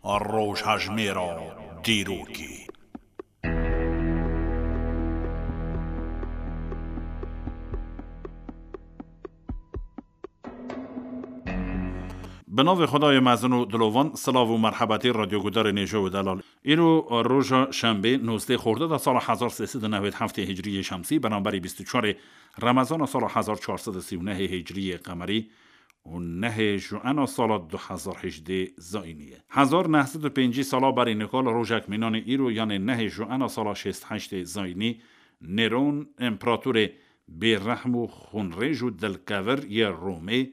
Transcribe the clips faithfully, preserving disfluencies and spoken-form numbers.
Rojhejmêra dîrokê. Bi navê Xwedayê mezin û dilovan, silav û merhebetî radyogudarên hêja û delal. Îro roja şembê, nozdeh xorda de sala hezar sê sed û newêd heftê hicriyê şemsî, beramberî bîst û çarê remezana sala hezar çar sed û sî û nehê hicriyê qemerî û nehê juena sala du hezar hejdê zayînî ye. Hezar neh sed û pêncî sala berî nika li rojek mînanê îro, yanê nehê juena sala şêst heştê zayînî, Nêron, împeratorê bêrehm û xûnrêj û dilkevir yê Romê,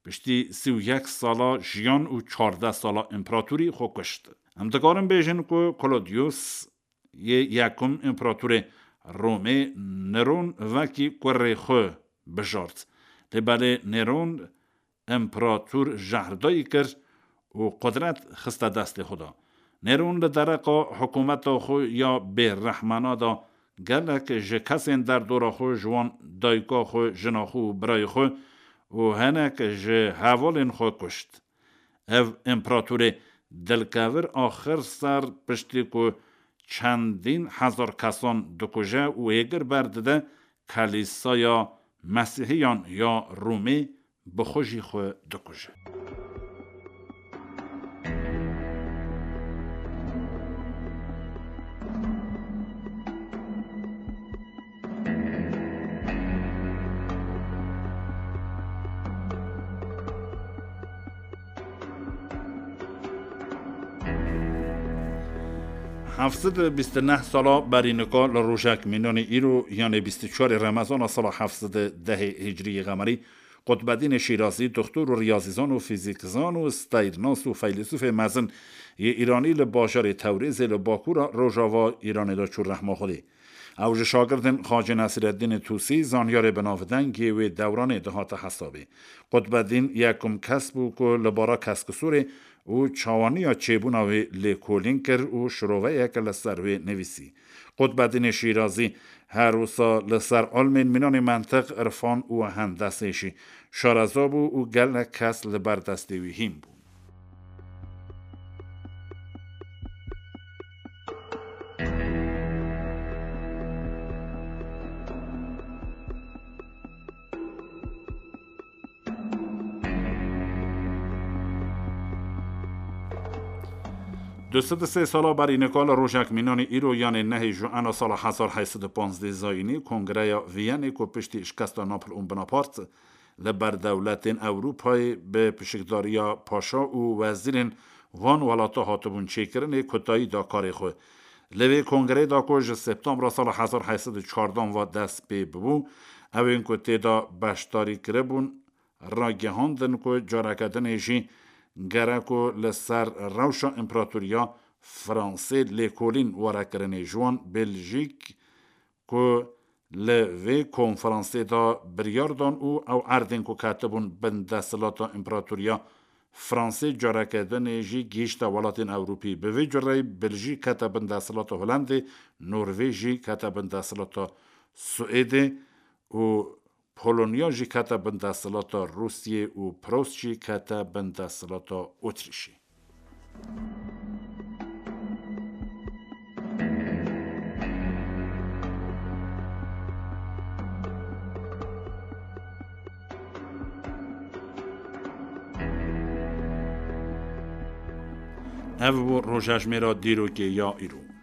piştî sî û yek sala jiyan û çardeh sala împeratorî xwe kuşt. Em dikarin bêjin ku Klodiyus yê yekum împeratorê Romê Nêron wekî kurê xwe bijart. Lê belê Nêron împerator jehrdayî kir û qudret xiste destê xwe de. Nêron li dereqa hikûmeta xwe ya bêrehmana de gelek ji kesên derdora xwe, ji wan dayika xwe, jina xwe û birayê xwe û hinek ji hevalên xwe kuşt. Ev împeratorê dilkevir axir ser piştî ku çendîn hezar kesan dikuje û hêgir berdide Kelîsaya Mesîhiyan ya Romê, bi xwe jî xwe dikuje. Heft sed û bîst û neh sala berî nika li rojek mînanê îro, yanê bîst û çarê remezana sala heft sed û dehê hicriyê qemerî, Qutbedînê Şîrazî, doktor û riyazîzan û fîzîkzan û steyrnas û feylesûfê mezin yê Îranî li bajarê Tewrêzê li bakûra rojava Îranê de çû rehma Xwedê. Ew ji şagirdên Xacê Nesîreddînê Tûsî, zanyarê binavdeng yê wê dewranê dihate hesabê. Qutbedîn yekum kes bû ku li bara keskisorê û çawaniya çêbûna wê lêkolîn kir û şiroveyeke li ser wê nivîsî. Qutbedînê Şîrazî her wisa li ser ilmên mînanê mentiq, irfan û hendesê jî şareza bû û gelek kes li ber destê wî hîn bûn. Du sed û sê sala berî nika li rojek mînanê îro, yanê nehê juena sala hezar heyt sed û panzdeh zayînî, Kongreya Viyenê ku piştî şikesta Napleon Bonaparte li ber dewletên Ewropayê bi pişikdariya paşa û wezîrên van welata hatibûn çêkirinê, kutayî da karê xwe. Li vê kongreyê de ku ji septembra sala hezar heyt sed û çardan ve dest pê bibû, ewên ku tê de beşdarî kiribûn, ragihandin ku careke dinê jî gerek ku li ser rewşa împeratoriya Fransê lêkolîn were kirinê, ji wan Beljîk ku li vê konferansê de biryar dan û ew erdên ku ketibûn bin desthilata împeratoriya Fransê careke dinê jî gihîşte welatên Ewropî. Bi vê cureyî Beljîk kete bin desthilata Holendê, Norvêj jî kete bin desthilata Swêdê û Polonya jî kete bin desthilata Rûsyê û Pros jî kete bin desthilata Otrîşê. Ev bû rojhejmêra dîrokê ya îro.